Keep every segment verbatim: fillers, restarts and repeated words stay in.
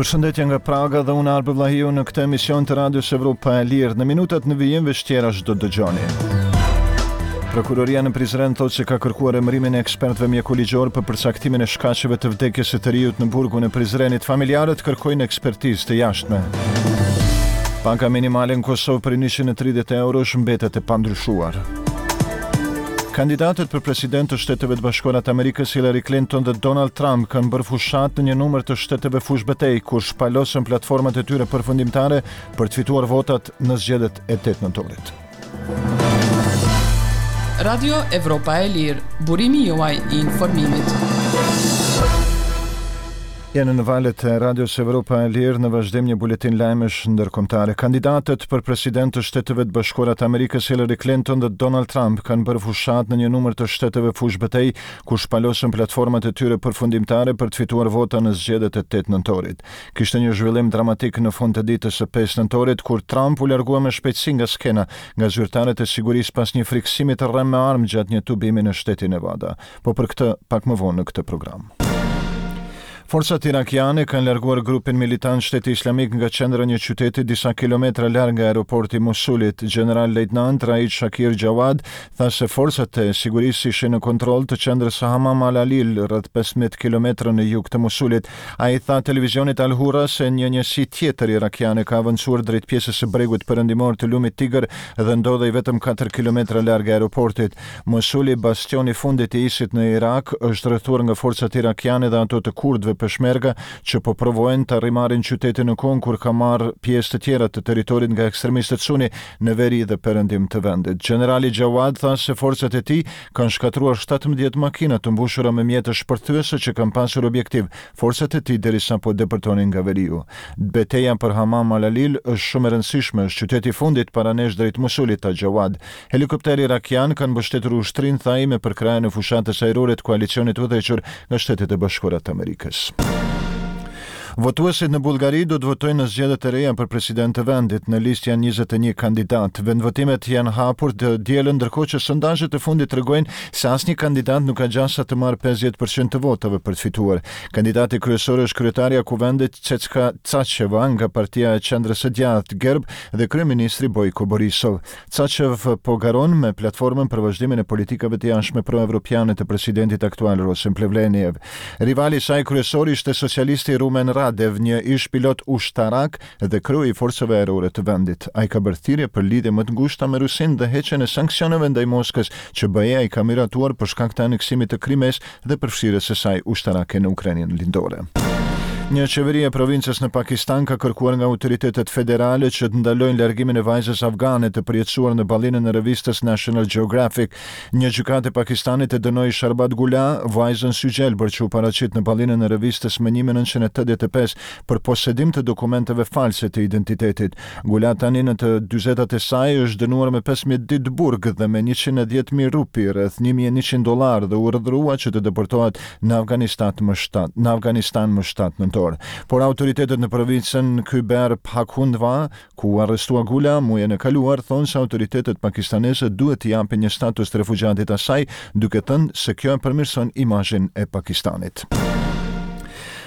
Përshëndetje nga Praga dhe unë, Arbër Vllahiu, në këtë emision të Radios Evropa e Lirë. Në minutat në vijim veç tjerash do të dëgjoni: Prokuroria në Prizren thotë se ka kërkuar emërimin e ekspertëve mjekoligjor për përcaktimin e shkaqeve të vdekjes së të riut në burgun e Prizrenit. Familjarët kërkojnë ekspertizë të jashtme. Paga minimale në Kosovë prej njëqind e tridhjetë eurosh mbetet e pandryshuar. Kandidatët për president të Shteteve të Bashkuara të Amerikës, Hillary Clinton dhe Donald Trump, kanë bërë fushatë në një numër të shteteve fushbetej, ku shpalosën platformat e tyre përfundimtare për të fituar votat në zgjedhjet e tetë nëntorit. Radio Evropa e Lirë, burimi juaj i informimit. Jeni në valet e Radios Evropa e Lirë, në vazhdim një buletin lajmesh ndërkombëtare. Kandidatët për president të Shteteve të Bashkuara të Amerikës, Hillary Clinton dhe Donald Trump, kanë bërë fushatë në një numër të shteteve fushbetej, ku shpalosën platformat e tyre përfundimtare për të fituar vota në zgjedhjet e tetë nëntorit. Kishte një zhvillim dramatik në fund të ditës së pesë nëntorit, kur Trump u largua me shpejtësi nga skena nga zyrtarët e sigurisë pas një frikësimi të rremë me armë gjatë një tubimi në shtetin Nevada. Po për këtë pak më vonë në këtë program. Forcat irakiane kanë larguar grupin militant Shteti Islamik nga qendra një qyteti disa kilometra larg nga aeroporti Mosulit. General Leitnant Raid Shakir Jawad tha se forcat e sigurisë ishin në kontroll të qendrës së Hamam al-Alil, rreth pesëmbëdhjetë kilometra në jug të Mosulit. Ai tha televizionit Al-Hura se një njësi tjetër irakiane ka avancuar drejt pjesës së bregut perëndimor të lumit Tigër dhe ndodhej vetëm katër kilometra larg aeroportit. Mosuli, bastioni i fundit i ISIS në Irak, është rrethuar nga forcat irakiane dhe ato të kurdëve Peshmerga, që po provojnë të rimarrin qytetin në kohën kur ka marrë pjesë të tjera të territorit nga ekstremistët suni në veri dhe perëndim të vendit. Generali Jawad tha se forcat e tij kanë shkatërruar shtatëmbëdhjetë makina të mbushura me mjete shpërthyese që kanë pasur objektiv forcat e tij derisa po depërtonin nga veriu. "Beteja për Hamam al-Alil është shumë e rëndësishme, është qyteti i fundit para nesh drejt Mosulit", tha Jawad. Helikopteri irakian kanë mbështetur ushtrinë, tha ai, me përkrahjen e fushatës ajrore të koalicionit udhëhequr nga Shtetet e Bashkuara të Amerikës. Votuesit në Bullgari do të votojnë në zgjedhjet e reja për president të vendit. Në listë janë njëzet e një kandidat. Vendvotimet janë hapur të dielën, ndërkohë që sondazhet e fundit tregojnë se asnjë kandidat nuk ka gjasa të marrë pesëdhjetë për qind të votave për të fituar. Kandidati kryesor është kryetarja e kuvendit, Tsetska Tsacheva, nga partia e qendrës së djathtë Gerb, dhe kryeministri Bojko Borisov. Tsachev po garon me platformën për vazhdimin e politikave të jashtme pro-evropiane të presidentit aktual, Rosen Plevleniev. Rivali i saj kryesor ishte socialisti Rumen Radev, një ish pilot ushtarak dhe kreu i forcave ajrore të vendit. Ai ka bërë thirrje për lidhje më të ngushta me Rusinë dhe heqjen e sanksioneve ndaj Moskës, që B E-ja i ka miratuar për shkak të aneksimit të Krimesë dhe përfshirjes së saj ushtarake në Ukrainën lindore. Një qeveri e provincës në Pakistan ka kërkuar nga autoritetet federale që të ndalojnë largimin e vajzës afgane të përjetësuar në ballinën e revistës National Geographic. Një gjykatë e Pakistanit e dënoi Sharbat Gula, vajzën sygjelbër që u paraqit në ballinën e revistës më një mijë e nëntëqind e tetëdhjetë e pesë, për posedim të dokumenteve false të identitetit. Gula, tani në të dyzetat e saj, është dënuar me pesëmbëdhjetë ditë burg dhe me njëqind e dhjetë mijë rupi, rreth një mijë e njëqind dollar, dhe u urdhërua që të deportohet në Afganistan më shtatë, në Afganistan më shtatë nëntor. Por autoritetet në provincën Khyber Pakhtunkhwa, ku u arrestua Gula muajin e kaluar, thonë se autoritetet pakistaneze duhet t'i japin një status të refugjatit asaj, duke thënë se kjo e përmirëson imazhin e Pakistanit.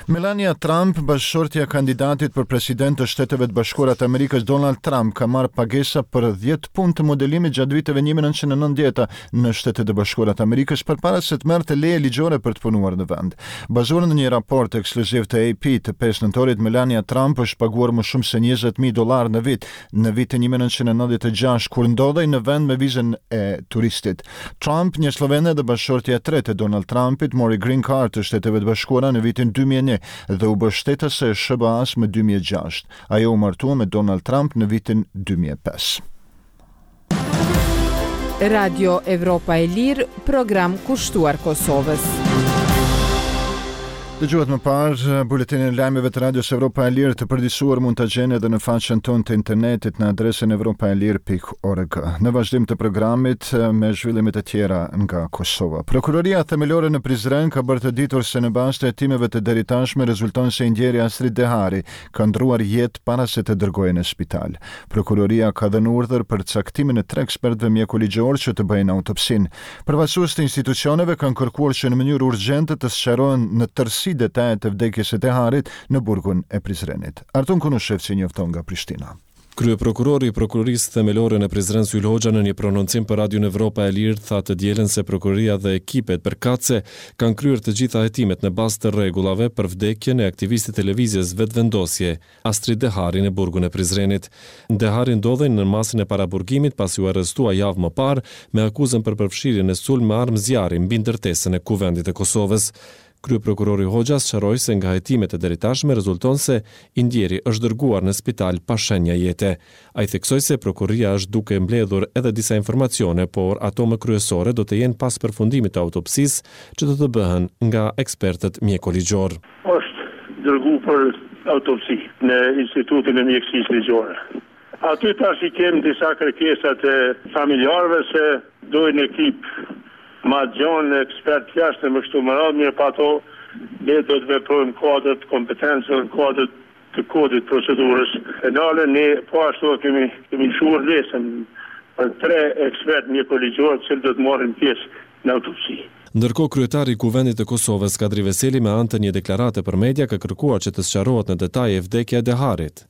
Melania Trump, bashkëshortja e kandidatit për president të Shteteve të Bashkuara të Amerikës, Donald Trump, ka marrë pagesa për dhjetë punë të modelimit gjatë viteve një mijë e nëntëqind e nëntëdhjeta në Shtetet e Bashkuara të Amerikës përpara se të merrte leje ligjore për të punuar në vend. Bazuar në një raport ekskluziv të A P të pesë nëntorit, Melania Trump është paguar më shumë se njëzet mijë dollar në vit në vitin një mijë e nëntëqind e nëntëdhjetë e gjashtë, kur ndodhej në vend me vizën e turistit. Trump, një slovene dhe bashkëshortja e tretë e Donald Trumpit, mori green card të Shteteve të Bashkuara në vitin dy mijë e një dhe u bë shtetase e S H B A-s më dy mijë e gjashtë. Ajo u martua me Donald Trump në vitin dy mijë e pesë. Radio Evropa e Lirë, program kushtuar Kosovës. Dëgjuat më parë buletinin e lajmeve të Radios Evropa e Lirë. Të përditësuar mund ta gjeni edhe në faqen tonë të internetit në adresën evropaelir pikë org. Në vazhdim të programit me zhvillimet e tjera nga Kosova. Prokuroria Themelore në Prizren ka bërë të ditur se në bazë të hetimeve të deritashme rezulton se i ndjeri Astrit Dehari ka ndruar jetë para se të dërgohej në spital. Prokuroria ka dhënë urdhër për caktimin e tre ekspertëve mjekoligjor që të bëjnë autopsinë. Përfaqësues të institucioneve kanë kërkuar që në mënyrë urgjente të sqarohen në tërësi hollësi detajet e vdekjes së Deharit në burgun e Prizrenit. Arton Konushevci njofton nga Prishtina. Kryeprokurori i Prokurorisë Themelore në Prizren Sylë Hoxha në një prononcim për Radion Evropa e Lirë tha të dielën se prokuroria dhe ekipet përkatëse kanë kryer të gjitha hetimet në bazë të rregullave për vdekjen e aktivistit të lëvizjes Vetëvendosje, Astrit Dehari në burgun e Prizrenit. Dehari ndodhej në masën e paraburgimit pasi u arrestua javë më parë me akuzën për përfshirje në sulm me armë zjarri mbi ndërtesën e Kuvendit të Kosovës. Kryeprokurori Hoxha sqaroi se nga hetimet e deritashme rezulton se i ndjeri është dërguar në spital pa shenja jete. Ai theksoi se prokuroria është duke mbledhur edhe disa informacione, por ato më kryesore do të jenë pas përfundimit të autopsisë që do të bëhen nga ekspertët mjekoligjor. Është dërgu për autopsi në Institutin e Mjekësisë Ligjore. Aty tash i kemi disa kërkesa të familjarëve se dojnë ekip ma gjonë, ekspert jashtë e më kështu më radhë, mirë pa to ne do të veprojmë kuadër të kompetencës, në kuadër të kodit procedurës penale. Ne po ashtu kemi kemi lëshuar urdhëresën për tre ekspert mjekoligjorë të cilët do të marrin pjesë në autopsi. Ndërkohë, kryetari i Kuvendit të Kosovës, Kadri Veseli, me anë të një deklarate për media ka kërkuar që të sqarohet në detaje vdekja e Deharit.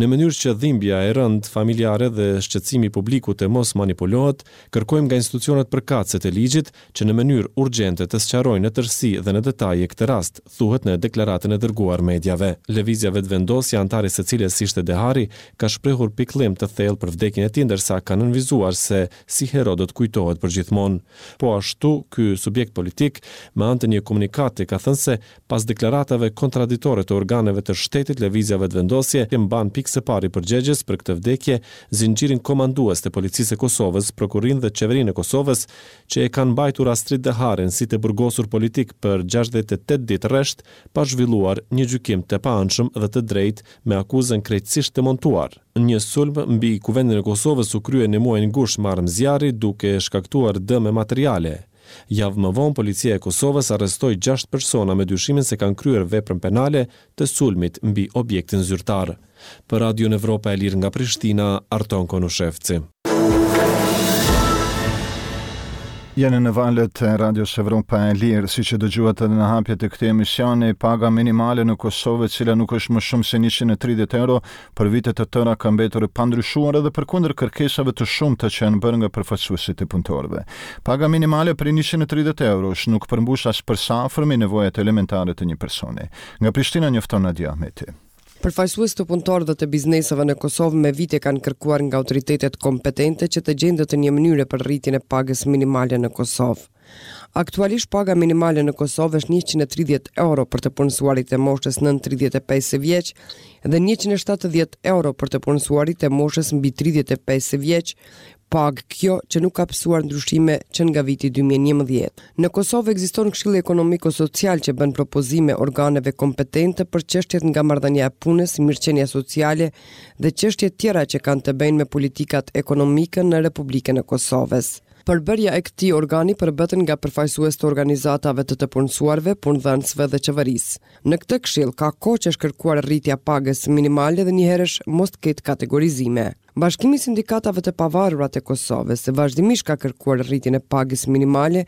Në mënyrë që dhimbja e rëndë familjare dhe shqetësimi i publikut të mos manipulohet, kërkojmë nga institucionet përkatëse të ligjit që në mënyrë urgjente të sqarojnë në tërësi dhe në detaje këtë rast, thuhet në deklaratën e dërguar mediave. Lëvizja Vetëvendosje, anëtari së cilës ishte Dehari, ka shprehur pikëllim të thellë për vdekjen e tij, ndërsa ka nënvizuar se si hero do të kujtohet përgjithmonë. Po ashtu, ky subjekt politik me anë të një komunikate ka thënë se pas deklaratave kontraditore të organeve të shtetit, Lëvizja Vetëvendosje mban pikë së pari përgjegjës për këtë vdekje zinxhirin komandues të Policisë së Kosovës, Prokurorinë dhe Qeverinë e Kosovës, që e kanë mbajtur Astrit Deharin si të burgosur politik për gjashtëdhjetë e tetë ditë rresht, pa zhvilluar një gjykim të paanshëm dhe të drejtë me akuzën krejtësisht të montuar. Një sulm mbi Kuvendin e Kosovës u krye në muajin gusht me armë zjarri, duke shkaktuar dëme materiale. Javë më vonë, Policia e Kosovës arrestoi gjashtë persona me dyshimin se kanë kryer veprën penale të sulmit mbi objektin zyrtar. Për Radion Evropa e Lirë nga Prishtina, Arton Konushevci. Jeni në valët e Radios Evropa e Lirë, siç e dëgjuat edhe në hapje të këtij emisioni, paga minimale në Kosovë, e cila nuk është më shumë se njëqind e tridhjetë euro, për vite të tëra ka mbetur e pandryshuar edhe përkundër kërkesave të shumta që janë bërë nga përfaqësuesit e punëtorëve. Paga minimale prej njëqind e tridhjetë eurosh nuk përmbush as për së afërmi nevojat elementare të një personi. Nga Prishtina njofton Nadia Ahmeti. Përfaqësues të punëtorëve dhe të bizneseve në Kosovë me vite kanë kërkuar nga autoritetet kompetente që të gjendet një mënyrë për rritjen e pagës minimale në Kosovë. Aktualisht paga minimale në Kosovë është njëqind e tridhjetë euro për të punësuarit e moshës nën tridhjetë e pesë vjeç dhe njëqind e shtatëdhjetë euro për të punësuarit e moshës mbi tridhjetë e pesë vjeç, pagë kjo që nuk ka pësuar ndryshime që nga viti dy mijë e njëmbëdhjetë. Në Kosovë ekziston Këshilli Ekonomiko-Social që bën propozime organeve kompetente për çështjet nga marrëdhënia e punës, mirëqenia sociale dhe çështje tjera që kanë të bëjnë me politikat ekonomike në Republikën e Kosovës. Përbërja e këtij organi përbëhet nga përfaqësues të organizatave të të punësuarve, punëdhënësve dhe qeverisë. Në këtë këshill ka kohë që është kërkuar rritja pagës minimale dhe njëherësh mos të ketë kategorizime. Bashkimi i Sindikatave të Pavarura të Kosovës vazhdimisht ka kërkuar rritjen e pagës minimale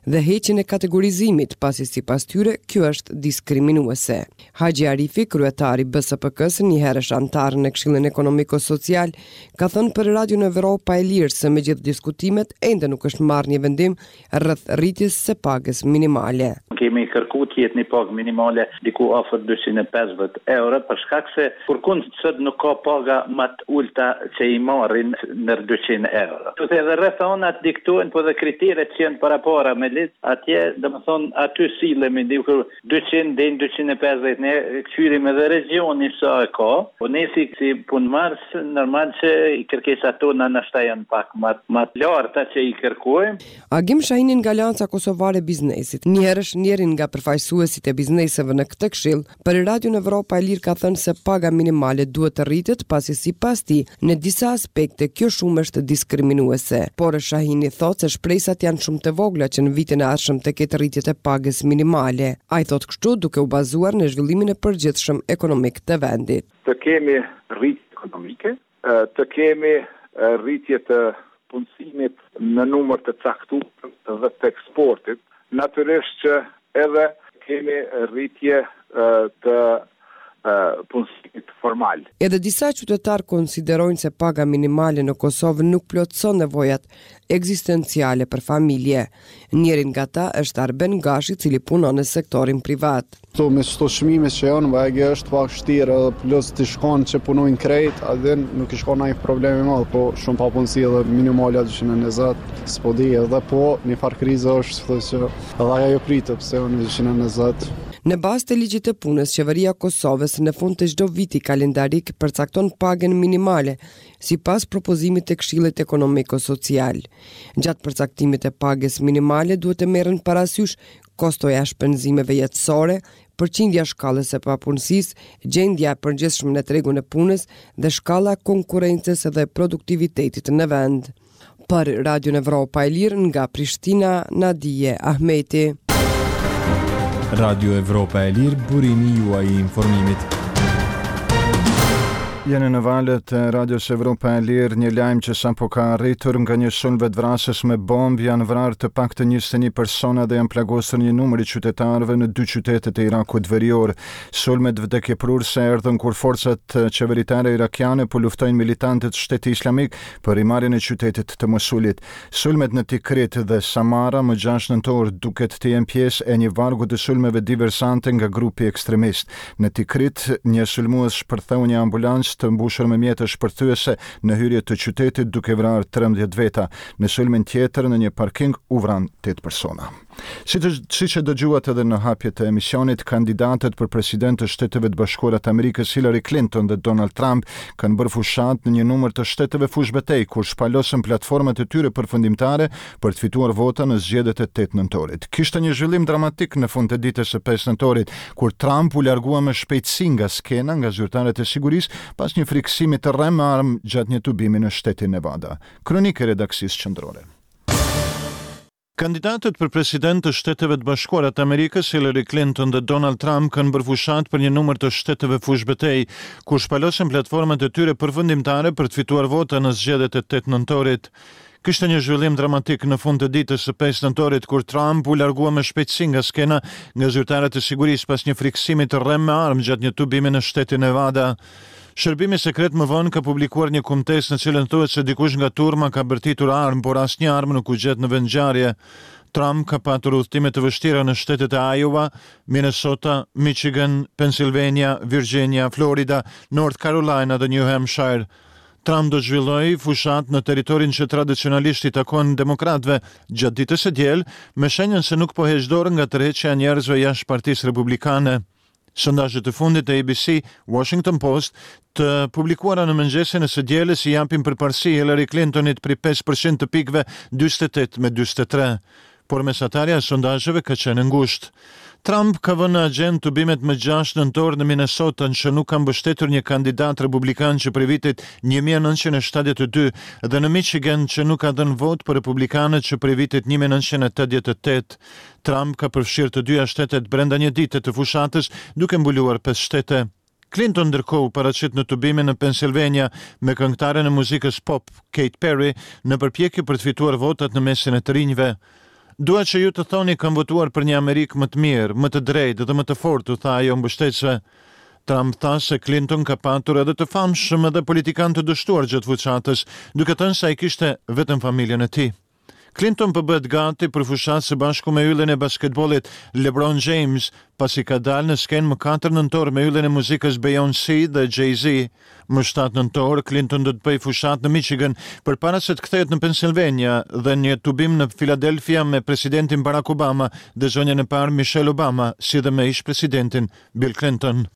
dhe heqjen e kategorizimit, pasi sipas tyre kjo është diskriminuese. Haxhi Arifi, kryetari i B S P K-së, njëherësh antar në Këshillin Ekonomiko-Social, ka thënë për Radion Evropa e Lirë se me gjithë diskutimet ende nuk është marrë një vendim rreth rritjes së pagës minimale. Kemi kërkuar të jetë një pagë minimale diku afër dyqind e pesëdhjetë euro, për shkak se kurrkund sot nuk ka paga më të ulta që i marrin nër dyqind euro. Edhe rrethanat diktojnë, po edhe kriteret që janë parapara me ligj, atje, domethënë, aty sillemi diku dyqind deri në dyqind e pesëdhjetë, ne kqyrim edhe regioni sa e ka, po ne si, si punëmarrës normal që i kërkesat tona ndoshta janë pak më, më të larta që i kërkojmë. Agim Shahini nga Aleanca Kosovare e Biznesit, njëherësh njëri nga përfaqësuesit e bizneseve në këtë këshill, për Radion Evropa e Lirë ka thënë se paga minimale duhet të rritet, pasi sipas tij, në disa aspekte kjo shumë është diskriminuese. Por Shahini thotë se shpresat janë shumë të vogla që në vitin e ardhshëm të ketë rritje të pagës minimale. Ai thotë kështu duke u bazuar në zhvillimin e përgjithshëm ekonomik të vendit. Të kemi rritje ekonomike, të kemi rritje të punësimit në numër të caktuar dhe të eksportit, natyrisht që edhe kemi rritje të punësimit formal. Edhe disa qytetarë konsiderojnë se paga minimale në Kosovë nuk plotëson nevojat ekzistenciale për familje. Njëri nga ta është Arben Gashi, i cili punon në sektorin privat. Kto me qëto çmime që janë, vajge është pak vështirë edhe plus të shkon që punojnë krejt, a din nuk i shkon ai problem i madh, po shumë papunësi edhe minimalja dyqind e njëzet, s'po di edhe po një farë krize është, kështu që edhe ajo pritet pse janë dyqind e njëzet. Në bazë të ligjit të punës, Qeveria e Kosovës në fund të çdo viti kalendarik përcakton pagën minimale sipas propozimit të Këshillit Ekonomiko-Social. Gjatë përcaktimit të pagës minimale duhet të merren parasysh kostoja e shpenzimeve jetësore, përqindja e shkallës së papunësisë, gjendja e përgjithshme në tregun e punës dhe shkalla e konkurrencës dhe produktivitetit në vend. Për Radion Evropa e Lirë nga Prishtina, Nadije Ahmeti. Radio Evropa e Lirë, burimi juaj i informimit. Jeni në valët e Radios Evropa e Lirë, një lajm që sapo ka arritur nga një sulm vetëvrasës me bombë, janë vrarë të paktën njëzet e një persona dhe janë plagosur një numër i qytetarëve në dy qytetet e Irakut verior. Sulmet vdekjeprurëse erdhën kur forcat qeveritare irakiane po luftojnë militantët Shteti Islamik për rimarrjen e qytetit të Mosulit. Sulmet në Tikrit dhe Samara më gjashtë nëntor duket të jenë pjesë e një vargu të sulmeve diversante nga grupi ekstremist. Në Tikrit, një sulmues shpërtheu një ambulancë të mbushur me mjete shpërthyese në hyrje të qytetit duke vrarë trembëdhjetë veta. Në sulmin tjetër në një parking u vranë tetë persona. Si të, siç e dëgjuat edhe në hapje të emisionit, kandidatët për president të Shteteve të Bashkuara të Amerikës Hillary Clinton dhe Donald Trump kanë bërë fushatë në një numër të shteteve fushbetej kur shpalosën platformat e tyre përfundimtare për të fituar vota në zgjedhjet e tetë nëntorit. Kishte një zhvillim dramatik në fund të ditës së pesë nëntorit, kur Trump u largua me shpejtësi nga skena nga zyrtarët e sigurisë pas një friksimi të rremë me armë gjatë një tubimi në shtetin Nevada. Kronikë e redaksisë qendrore. Kandidatët për president të Shteteve të Bashkuara të Amerikës, Hillary Clinton dhe Donald Trump, kanë bërë fushatë për një numër të shteteve fushbetej, ku shpalosën platformat e tyre përfundimtare për të fituar vota në zgjedhjet e tetë nëntorit. Kishte një zhvillim dramatik në fund të ditës së pesë nëntorit, kur Trump u largua me shpejtësi nga skena nga zyrtarët e sigurisë pas një friksimi të rremë me armë gjatë një tubimi në shtetin Nevada. Shërbimi sekret më vonë ka publikuar një kumtesë në cilën thuhet se dikush nga turma ka bërtitur armë, por asnjë armë nuk u gjet në vendngjarje. Trump ka patur udhëtime të vështira në shtetet e Iowa, Minnesota, Michigan, Pennsylvania, Virginia, Florida, North Carolina dhe New Hampshire. Trump do të zhvillojë fushat në territorin që tradicionalisht i takon demokratëve gjatë ditës së diel, me shenjën se nuk po heq dorë nga tërheqja e njerëzve jashtë Partisë Republikane. Sondazhet e fundit të A B C, Washington Post, të publikuara në mëngjesin e së dielës i japin përparësi Hillary Clintonit për pesë përqind të pikëve dyzet e tetë me dyzet e tre, por mesatarja e sondazheve ka qenë e ngushtë. Trump ka vënë në agjendë tubimet më gjashtë nëntor në Minnesota, që nuk ka mbështetur një kandidat republikan që prej vitit një mijë e nëntëqind e shtatëdhjetë e dy dhe në Michigan që nuk ka dhënë votë për republikanët që prej vitit një mijë e nëntëqind e tetëdhjetë e tetë. Trump ka përfshirë të dyja shtetet brenda një dite të fushatës, duke mbuluar pesë shtete. Clinton ndërkohë u paraqit në tubimin në Pennsylvania me këngëtaren e muzikës pop Katy Perry në përpjekje për të fituar votat në mesin e të rinjve. Dua që ju të thoni kam votuar për një Amerikë më të mirë, më të drejtë dhe më të fortë, u tha ajo mbështetësve. Trump tha se Clinton ka patur edhe të famshëm edhe politikan të dështuar gjatë fushatës, duke thënë se ai kishte vetëm familjen e tij. Clinton po bëhet gati për fushat së bashku me yllin e basketbollit LeBron James, pasi ka dalë në skenë më katër nëntor me yllin e muzikës Beyoncé dhe Jay-Z. Më shtatë nëntor, Clinton do të bëjë fushat në Michigan përpara se të kthehet në Pennsylvania dhe një tubim në Philadelphia me presidentin Barack Obama dhe zonjën e parë Michelle Obama, si dhe me ish-presidentin Bill Clinton.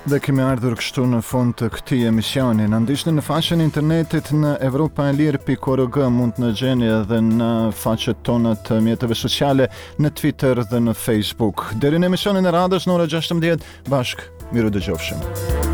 Dhe kemi ardhur kështu në fund të këtij emisioni. Na ndiqni në faqen e internetit në evropa e lirë pikë org, mund të na gjeni edhe në faqet tona të mjeteve sociale, në Twitter dhe në Facebook. Deri në emisionin e radhës në ora gjashtëmbëdhjetë, bashkë, miru dëgjofshim.